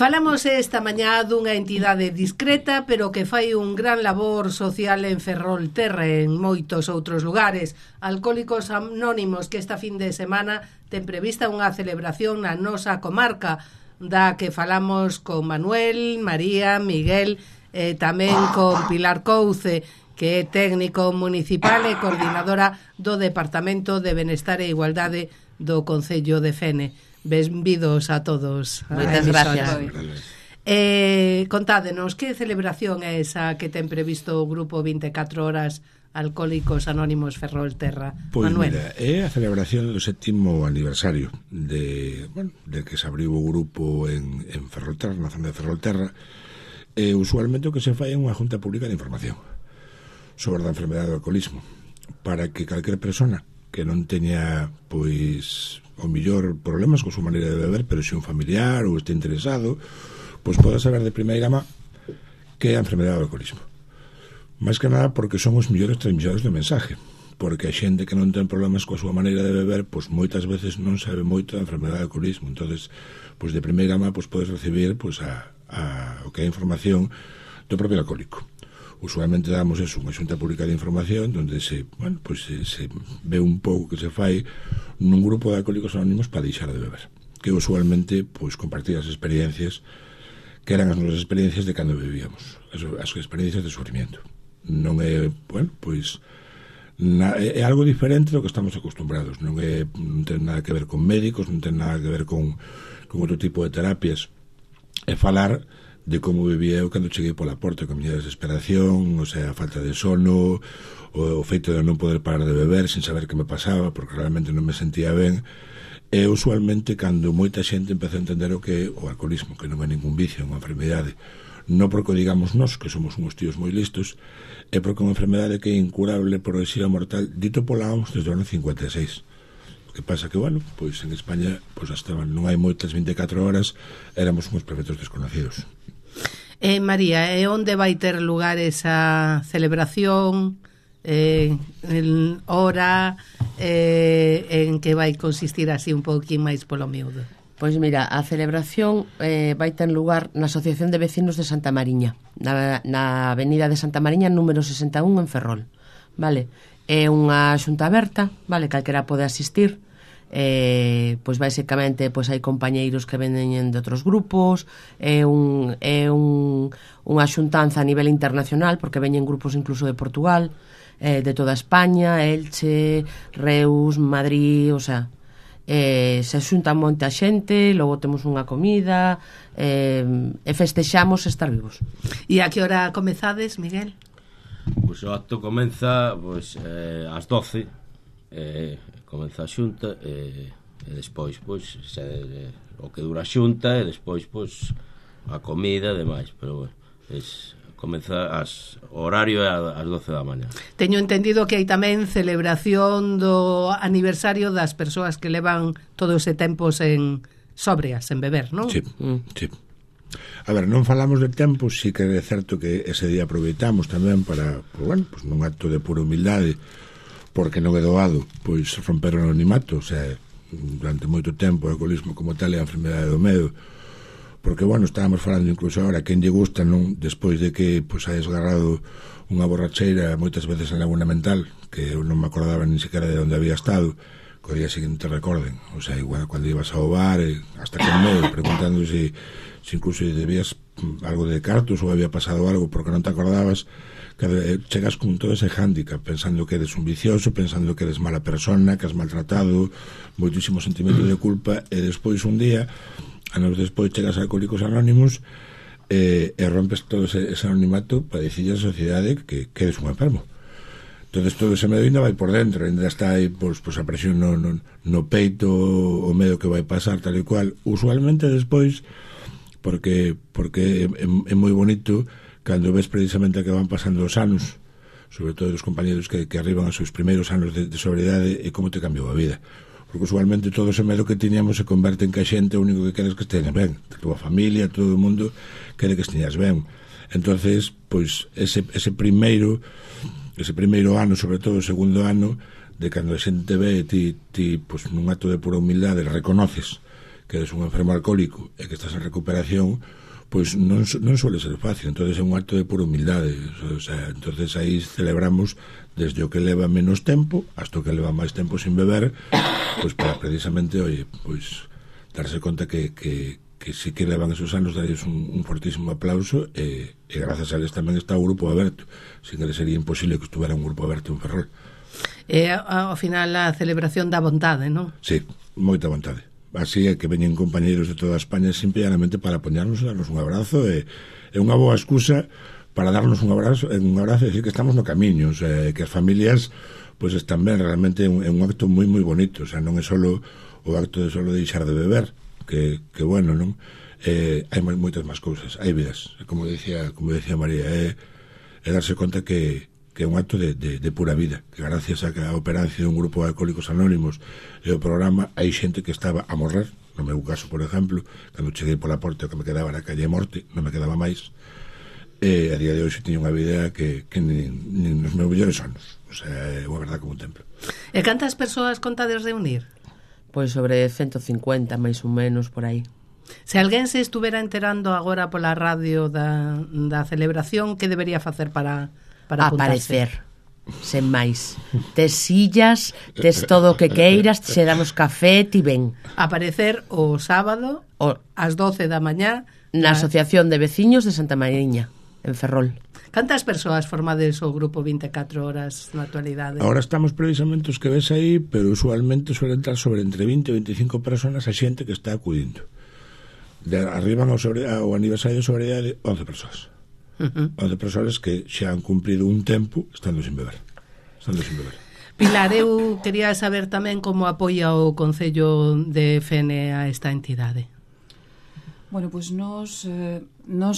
Falamos esta mañá dunha entidade discreta, pero que fai un gran labor social en Ferrolterra e en moitos outros lugares. Alcohólicos Anónimos, que esta fin de semana ten prevista unha celebración na nosa comarca, da que falamos con Manuel, María, Miguel e tamén con Pilar Couce, que é técnico municipal e coordinadora do Departamento de Benestar e Igualdade do Concello de Fene. Benvidos a todos. Moitas gracias. Contádenos, que celebración é esa que ten previsto o Grupo 24 Horas Alcohólicos Anónimos Ferrolterra? Pois Manuel. Mira, é a celebración do 7º aniversario de que se abriu o grupo en Ferrolterra, na zona de Ferrolterra. Usualmente o que se fai é unha junta pública de información sobre a enfermedade do alcoholismo, para que calquera persona que non teña, pois, o millor problemas con súa maneira de beber, pero se un familiar ou este interesado, pois poda saber de primeira má que é a enfermedade do alcoholismo. Mais que nada porque son os millores transmisores do mensaje, porque a xente que non ten problemas coa súa maneira de beber, pois moitas veces non sabe moito da enfermedade do alcoholismo. Entonces, pois de primeira má, pois podes recibir pois o que é información do propio alcohólico. Usualmente damos eso, unha xunta pública de información onde se ve un pouco que se fai nun grupo de alcohólicos anónimos para deixar de beber, que usualmente pois compartir as experiencias que eran as nosas experiencias de cando bebíamos, as experiencias de sufrimiento. Non é, é algo diferente do que estamos acostumbrados, non ten nada que ver con médicos, non ten nada que ver con outro tipo de terapias. É falar de como vivía eu cando cheguei pola porta, con a miña desesperación, o sea, a falta de sono, o feito de non poder parar de beber sin saber que me pasaba, porque realmente non me sentía ben. E usualmente cando moita xente empeza a entender o que é o alcoholismo, que non é ningún vicio, é unha enfermedade, non porque o digamos nós, que somos uns tíos moi listos, é porque é unha enfermedade que é incurable, progresiva, mortal, dito pola OMS desde o ano 56. O que pasa que, pois en España hasta non hai moitas 24 horas, éramos uns perfectos desconocidos. María, onde vai ter lugar esa celebración? Hora, en que vai consistir así un pouquín máis polo miúdo? Pois mira, a celebración vai ter lugar na Asociación de Vecinos de Santa Mariña, na avenida de Santa Mariña número 61 en Ferrol, vale? É unha xunta aberta, vale? Calquera pode asistir. Pois basicamente pois hai compañeiros que venen de outros grupos, é unha xuntanza a nivel internacional, porque veñen grupos incluso de Portugal, de toda España, Elche, Reus, Madrid, o sea, se xuntan moita xente, logo temos unha comida, e festexamos estar vivos. E a que hora comezades, Miguel? Pois o acto comeza ás 12, comeza a xunta e despois o que dura a xunta e despois a comida e demais, pero comeza o horario é ás 12 da mañá. Teño entendido que hai tamén celebración do aniversario das persoas que levan todo ese tempo sobrias, en beber, non? Sí, sí. A ver, non falamos de tempo, sí que é certo que ese día aproveitamos tamén para, nun acto de pura humildade, porque non é doado pois romper o anonimato, o sea, durante moito tempo o alcoholismo como tal é a enfermedade do medo, porque estábamos falando incluso agora quen lle gusta, non, despois de que pois hai esgarrado unha borracheira moitas veces en Laguna Mental, que eu non me acordaba ni siquiera de onde había estado, que o día seguinte recorden, o sea, igual cando ibas ao bar hasta con medo, preguntando se incluso debías algo de cartos ou había pasado algo porque non te acordabas, que chegas con todo ese hándicap, pensando que eres un vicioso, pensando que eres mala persona, que has maltratado, moitísimo sentimento de culpa, e despois un día, anos despois, chegas a Alcohólicos Anónimos e rompes todo ese anonimato para dicirle a sociedade que eres un enfermo. Entonces todo ese medo ainda vai por dentro, ainda está aí pois a presión no peito, o medo que vai pasar, tal e cual. Usualmente despois, porque é moi bonito cando ves precisamente que van pasando os anos, sobre todo os compañeros que arriban aos seus primeiros anos de sobriedade, e como te cambiou a vida, porque usualmente todo ese medo que tiñamos se converte en que a xente o único que queres que esteñas ben, a tua familia, todo o mundo quere que esteñas ben. Entonces, pois ese primeiro ano, sobre todo o segundo ano, de cando a xente ve ti pois nun acto de pura humildade reconoces que eres un enfermo alcohólico e que estás en recuperación, pois non suele ser fácil. Entonces é un acto de pura humildade. O sea, entonces aí celebramos desde o que leva menos tempo hasta o que leva máis tempo sin beber, pois para precisamente, oye, pois darse conta que si que levan esos anos, darles un fortísimo aplauso, e grazas a eles tamén está o grupo aberto. Sin eles sería imposible que estuvera un grupo aberto en Ferrol. E ao final a celebración da vontade, non? Sí, moita vontade. Así é que veñen compañeiros de toda España simplemente para apoñarnos e darnos un abrazo, e unha boa excusa para darnos un abrazo e decir que estamos no camiño, o sea, que as familias pois están ben. Realmente é un acto moi moi bonito, o sea, non é solo o acto de solo deixar de beber, que bueno, non? Hai moitas máis cousas, hai vidas, como decía María, é darse conta que é un acto de pura vida, que gracias a operancia dun grupo de alcohólicos anónimos e o programa, hai xente que estaba a morrer. No meu caso, por exemplo, cando cheguei pola porta, que me quedaba na calle Morte, non me quedaba máis, e a día de hoxe tiña unha vida que nin nos meus mellores anos, o sea, é unha verdad como un templo. E cantas persoas contades reunir? Pois sobre 150, máis ou menos, por aí. Se alguén se estuvera enterando agora pola radio da celebración, que debería facer para apuntarse? Aparecer, sen máis. Tes sillas, tes todo o que queiras, se damos café, ti ven. Aparecer o sábado ás 12 da mañá na Asociación de Veciños de Santa Mariña, en Ferrol. Cantas persoas formades o grupo 24 horas na actualidade? Ahora estamos precisamente os que ves aí, pero usualmente suele entrar sobre entre 20 e 25 personas a xente que está acudindo. Arriban ao aniversario de sobriedade 11 persoas. 11 persoas que xa han cumprido un tempo estando sin beber. Pilar, eu quería saber tamén como apoia o Concello de Fene a esta entidade. Bueno, pois nos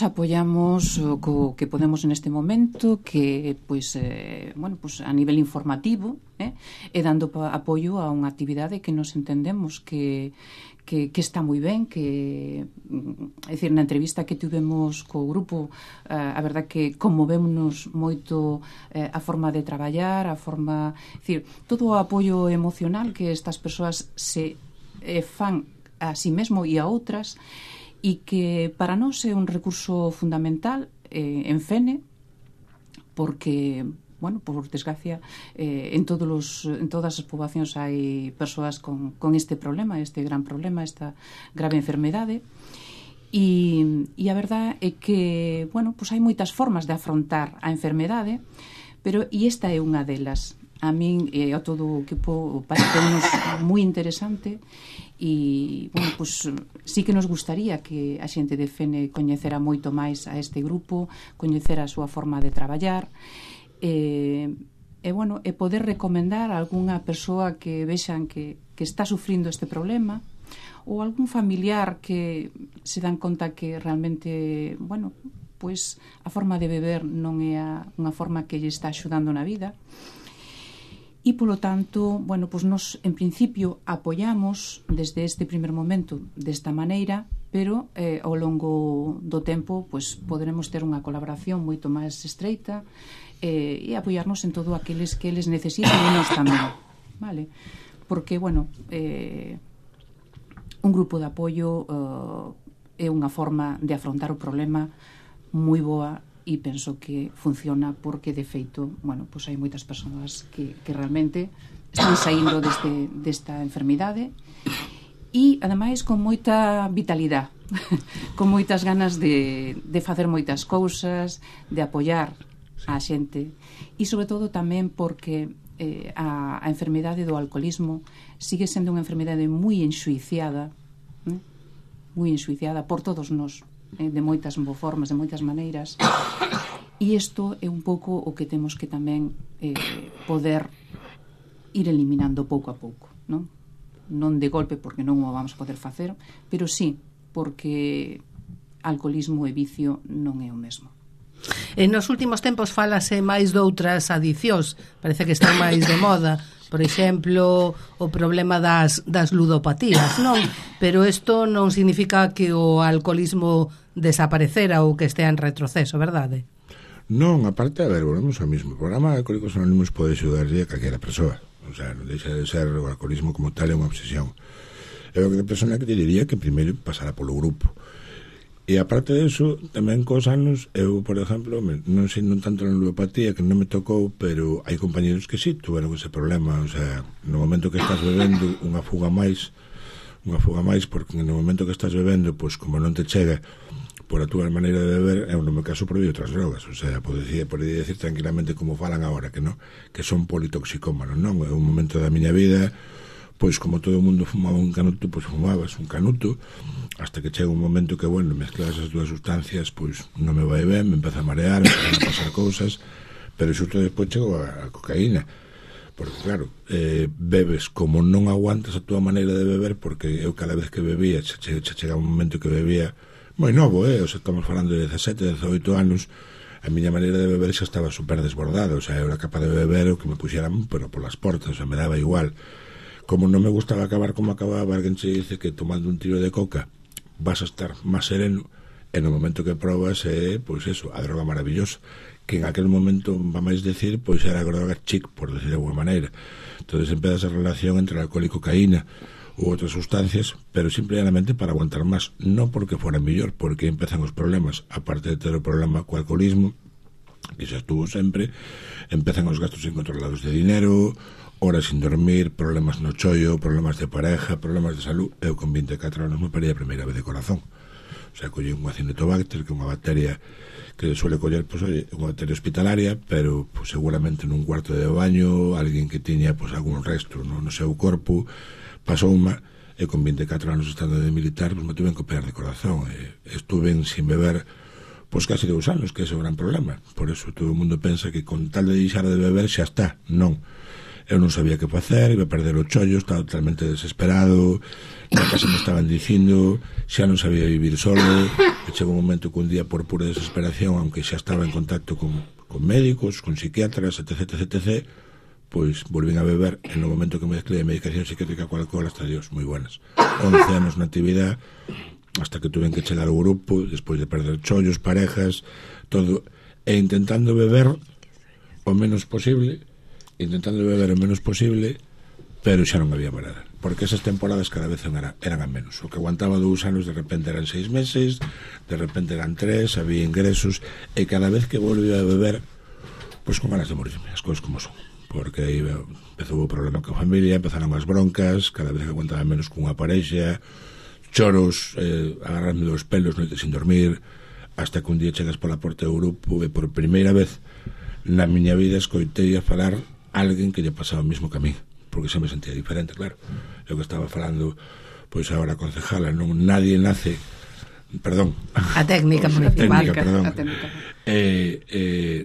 apoiamos co que podemos neste momento, que pois a nivel informativo, e dando apoio a unha actividade que nos entendemos que está moi ben, que é dicir, na entrevista que tivemos co grupo, a verdad que conmovémonos moito a forma de traballar, a forma, é dicir, todo o apoio emocional que estas persoas se fan a si mesmo e a outras, e que para nós é un recurso fundamental en Fene, porque, bueno, por desgracia, en todas as poboacións hai persoas con este problema, este gran problema, esta grave enfermedade, e a verdade é que, bueno, pues hai moitas formas de afrontar a enfermedade, pero esta é unha delas. A min e a todo o equipo parece-nos moi interesante, e, bueno, pues sí que nos gustaría que a xente de Fene coñecera moito máis a este grupo, coñecera a súa forma de traballar, e poder recomendar a algunha persoa que vexan que está sufrindo este problema, ou algún familiar que se dan conta que realmente, bueno, pues a forma de beber non é unha forma que lle está axudando na vida. E, polo tanto, bueno, pues nos, en principio, apoiamos desde este primer momento desta maneira, pero ao longo do tempo pues poderemos ter unha colaboración moito máis estreita e apoiarnos en todo aqueles que eles necesitan e nós tamén, vale? Porque, bueno, un grupo de apoio é unha forma de afrontar o problema moi boa, e penso que funciona porque, de feito, bueno, pues hai moitas persoas que realmente están saindo desta enfermidade, e, ademais, con moita vitalidade, con moitas ganas de facer moitas cousas, de apoiar a xente, e, sobre todo, tamén porque a enfermidade do alcoholismo sigue sendo unha enfermidade moi enxuiciada por todos nós, de moitas formas, de moitas maneiras, e isto é un pouco o que temos que tamén poder ir eliminando pouco a pouco, non de golpe, porque non o vamos a poder facer, pero sí, porque alcoholismo e vicio non é o mesmo. En nos últimos tempos falase máis doutras adicións, parece que están máis de moda, por exemplo, o problema das ludopatías, non? Pero isto non significa que o alcoholismo desaparecera ou que estea en retroceso, verdade? Non, aparte, a ver, volvemos ao mismo. O programa de Alcohólicos Anónimos pode axudarlle a calquera persoa. O sea, non deixa de ser o alcoholismo como tal é unha obsesión. Eu que persona que te diría que primeiro pasara polo grupo. E aparte de eso, tamén cos anos, eu, por exemplo, non sei non tanto na neuropatía, que non me tocou, pero hai compañeros que sí tuveron ese problema. O sea, no momento que estás bebendo unha fuga máis, porque no momento que estás bebendo, pois como non te chega por a túa maneira de beber, eu no meu caso probei outras drogas. O sea, podería decir tranquilamente como falan agora, que non, que son politoxicómanos, non? É un momento da miña vida, pois como todo o mundo fumaba un canuto, pois fumabas un canuto, hasta que chega un momento que, bueno, mezclas as dúas sustancias, pois non me vai ben, me empeza a marear, me empezan a pasar cousas, pero xusto despois chego a cocaína, porque claro, bebes como non aguantas a túa maneira de beber, porque eu cada vez que bebía, chega un momento que bebía moi novo, o sea, estamos falando de 17, 18 anos, a miña maneira de beber xa estaba super desbordada, o sea, eu era capaz de beber o que me puxeran, pero polas portas, o sea, me daba igual. Como non me gustaba acabar como acababa, alguén se dice que tomando un tiro de coca vas a estar máis sereno, e no momento que probas pois eso, a droga maravillosa, que en aquel momento, vamos decir, pois era a droga chic, por decir de alguma maneira. Entonces empezas a relación entre alcohol e cocaína ou outras sustancias, pero simplemente para aguantar máis, non porque fora mellor, porque empezan os problemas, aparte de ter o problema co alcoholismo, que xa estuvo sempre, empezan os gastos incontrolados de dinero, horas sin dormir, problemas no chollo, problemas de pareja, problemas de salud. Eu con 24 anos me parei a primeira vez de corazón. O sea, collí un acinetobacter, que é unha bacteria que suele coller, pois, oye, unha bacteria hospitalaria, pero pues, seguramente nun cuarto de baño, alguén que tiña pues, algún resto no seu corpo, pasou unha, e con 24 anos estando de militar, pues, me tuve que operar de corazón. Estuve sin beber pois casi 2 anos, que ese é o gran problema. Por eso todo o mundo pensa que con tal de deixar de beber xa está. Non. Eu non sabía que facer, iba a perder o chollo, estaba totalmente desesperado, na casa me estaban dicindo, xa non sabía vivir solo, e chegou un momento que un día por pura desesperación, aunque xa estaba en contacto con médicos, con psiquiatras, etc., pois volvín a beber, en o momento que me mezclei medicación psiquiátrica co alcohol, hasta Dios, moi buenas. 11 anos na actividade, hasta que tuven que chegar ao grupo, despois de perder chollos, parejas, todo, e intentando beber o menos posible, pero xa non había manera, porque esas temporadas cada vez eran a menos. O que aguantaba 2 anos de repente eran 6 meses, de repente eran 3, había ingresos, e cada vez que volvía a beber, pois con ganas de morirme, as cousas como son, porque aí empezou o problema con a familia, empezaron as broncas, cada vez que aguantaba menos cunha parexa, choros, agarrarme dos pelos, noites sin dormir, hasta que un día chegas pola porta do grupo e por primeira vez na miña vida escoitei a falar alguén que lle pasaba o mismo que a mí, porque xa me sentía diferente, claro. Eu que estaba falando, pois agora a concejala, non, nadie nace, perdón, a técnica municipal,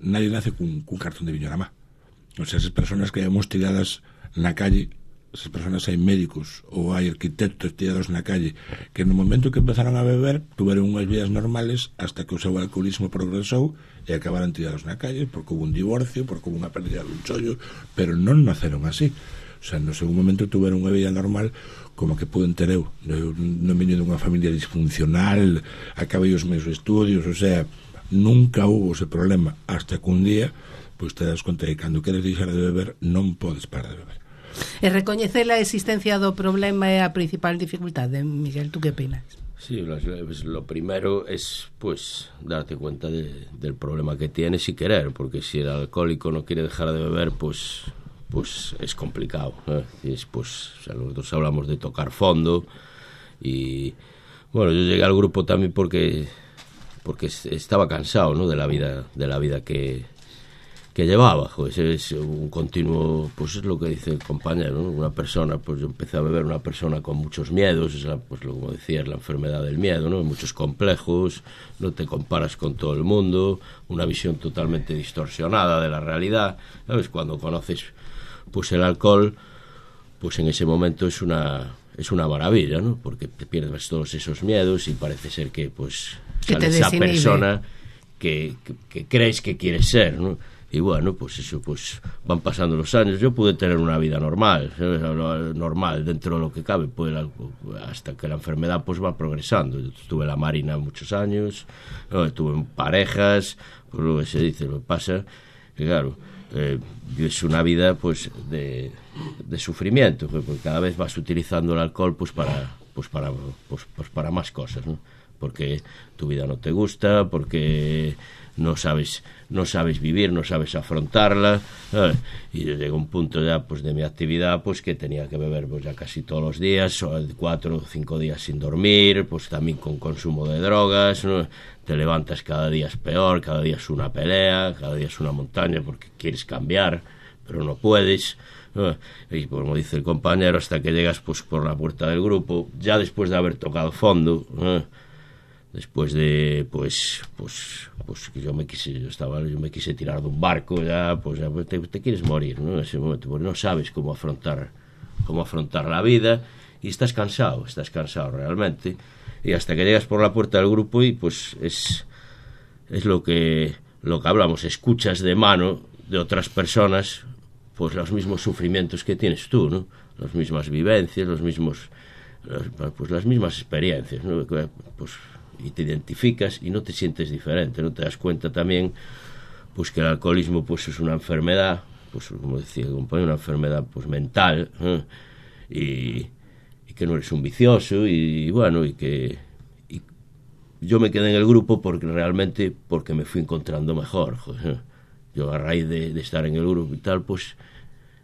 nadie nace cun cartón de viño na má. O sea, esas personas que vemos tiradas na calle, esas personas, hai médicos ou hai arquitectos tirados na calle que no momento que empezaron a beber tuveron unhas vidas normales hasta que o seu alcoholismo progresou e acabaron tirados na calle porque houve un divorcio, porque houve unha pérdida dun chollo, pero non naceron así. O sea, no segundo momento tuveron unha vida normal como que puden ter eu. Non veño dunha familia disfuncional, acabei os meus estudios, o sea, nunca houve ese problema hasta que un día pois te das conta que cando queres deixar de beber non podes parar de beber. E recoñecer a existencia do problema é a principal dificultade. Miguel, tú que opinas? Sí, lo primero es pues darte cuenta del problema que tienes y querer, porque si el alcohólico no quiere dejar de beber, pues es complicado, ¿no? Pues, o sea, nosotros hablamos de tocar fondo y bueno, yo llegué al grupo también porque estaba cansado, ¿no? de la vida que llevaba, pues es un continuo, pues es lo que dice el compañero, ¿no? Una persona, pues yo empecé a beber, una persona con muchos miedos, pues como decía, es la enfermedad del miedo, ¿no? Muchos complejos, no te comparas con todo el mundo, una visión totalmente distorsionada de la realidad, ¿sabes? Cuando conoces pues el alcohol, pues en ese momento es una maravilla, ¿no? Porque te pierdes todos esos miedos y parece ser que pues sale esa persona que crees que quieres ser, ¿no? Y bueno, pues eso, pues van pasando los años. Yo pude tener una vida normal, ¿sabes? Normal dentro de lo que cabe, pues, hasta que la enfermedad pues va progresando. Yo estuve en la Marina muchos años, ¿no? Estuve en parejas, pues lo que se dice, lo que pasa, que claro, vives unha vida pues de sufrimiento, porque cada vez vas utilizando el alcohol pues para más cosas, ¿no? Porque tu vida no te gusta, porque no sabes vivir, no sabes afrontarla, y llega un punto ya pues de mi actividad pues que tenía que beber pues ya casi todos los días, 4 o 5 días sin dormir, pues también con consumo de drogas, ¿no? Te levantas cada día es peor, cada día es una pelea, cada día es una montaña porque quieres cambiar pero no puedes, ¿no? Y como dice el compañero, hasta que llegas pues por la puerta del grupo, ya después de haber tocado fondo, ¿no? Después de pues que yo me quise tirar de un barco, ya te quieres morir, ¿no? En ese momento, porque no sabes cómo afrontar la vida y estás cansado realmente, y hasta que llegas por la puerta del grupo y pues es lo que hablamos, escuchas de mano de otras personas pues los mismos sufrimientos que tienes tú, ¿no? Las mismas vivencias, las mismas experiencias, ¿no? Pues y te identificas y no te sientes diferente, no te das cuenta también pues que el alcoholismo pues es una enfermedad, pues como decía el compañero, una enfermedad pues mental, ¿eh? Y que no eres un vicioso y bueno, y yo me quedé en el grupo porque me fui encontrando mejor, joder. Yo a raíz de estar en el grupo y tal pues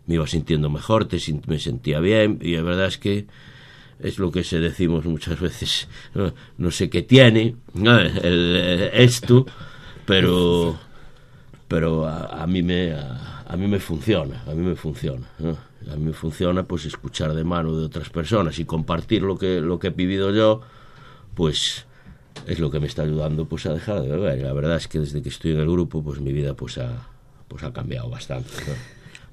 me iba sintiendo mejor, me sentía bien, y la verdad es que es lo que decimos muchas veces, no sé qué tiene esto, pero a mí me funciona, ¿no? A mí me funciona pues escuchar de mano de otras personas y compartir lo que he vivido yo, pues es lo que me está ayudando pues a dejar de beber. La verdad es que desde que estoy en el grupo pues mi vida pues ha cambiado bastante, ¿no?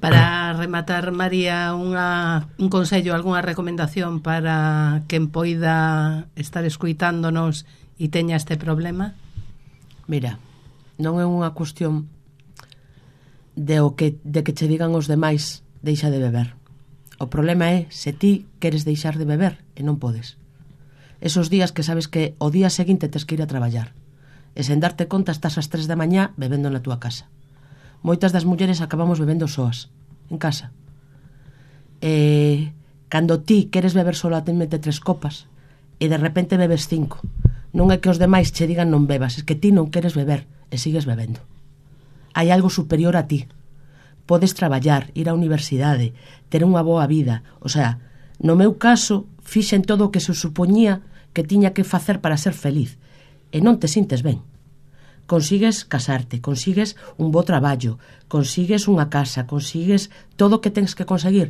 Para rematar, María, un consello, algunha recomendación para quen poida estar escuitándonos e teña este problema? Mira, non é unha cuestión de que che digan os demais deixa de beber. O problema é se ti queres deixar de beber e non podes. Esos días que sabes que o día seguinte tes que ir a traballar e sen darte conta estás ás 3 da mañá bebendo na túa casa. Moitas das mulleres acabamos bebendo soas en casa. Cando ti queres beber solamente 3 copas e de repente bebes 5, non é que os demais che digan non bebas, é que ti non queres beber e sigues bebendo. Hai algo superior a ti. Podes traballar, ir á universidade, ter unha boa vida. O sea, no meu caso fixen todo o que se supoñía que tiña que facer para ser feliz e non te sintes ben. Consigues casarte, consigues un bo traballo, consigues unha casa, consigues todo o que tens que conseguir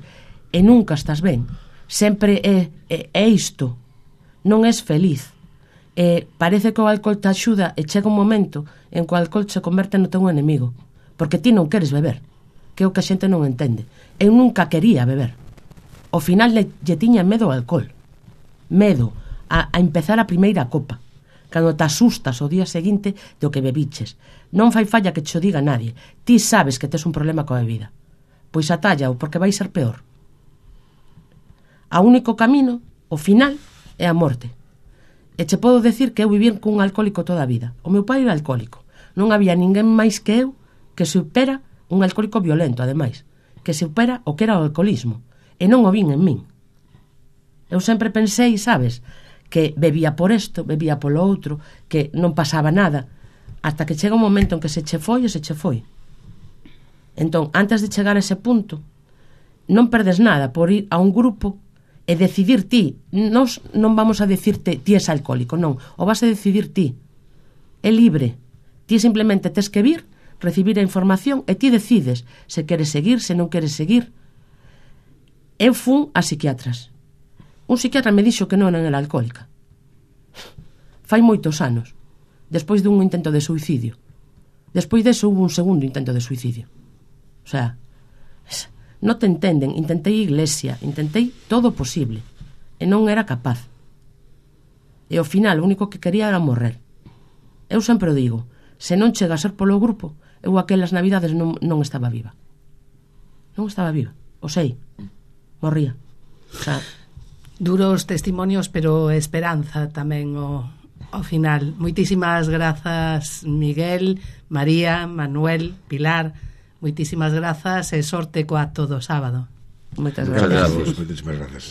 e nunca estás ben. Sempre é isto. Non és feliz. Parece que o alcohol te axuda e chega un momento en que o alcohol se converte no teu enemigo, porque ti non queres beber, que é o que a xente non entende. Eu nunca quería beber. Ao final lle tiña medo ao alcohol. Medo a empezar a primeira copa. Cando te asustas o día seguinte do que bebiches. Non fai falla que te o diga nadie. Ti sabes que tes un problema coa bebida. Pois atállao, porque vai ser peor. O único camino, o final, é a morte. E che podo decir que eu vivín cun alcohólico toda a vida. O meu pai era alcohólico. Non había ninguén máis que eu que supera un alcohólico violento, ademais, que supera o que era o alcoholismo. E non o vin en min. Eu sempre pensei, sabes, que bebía por isto, bebía polo outro, que non pasaba nada, hasta que chega un momento en que se che foi e se che foi. Entón, antes de chegar a ese punto, non perdes nada por ir a un grupo e decidir ti. Nos non vamos a decirte ti és alcohólico, non, o vas a decidir ti. É libre. Ti simplemente tes que vir, recibir a información e ti decides se queres seguir, se non queres seguir. Eu fun a psiquiatras. Un psiquiatra me dixo que non era alcohólica. Fai moitos anos, despois dun intento de suicidio. Despois deso hubo un segundo intento de suicidio. O sea, non te entenden. Intentei iglesia, intentei todo o posible e non era capaz. E ao final o único que quería era morrer. Eu sempre o digo, se non chega a ser polo grupo, eu aquelas navidades non estaba viva. Non estaba viva, o sei, morría. O sea, duros testimonios, pero esperanza tamén ao final. Moitísimas grazas, Miguel, María, Manuel, Pilar, Moitísimas grazas e sorte co acto do sábado. Moitas Muchas gracias. gracias. Moitísimas grazas.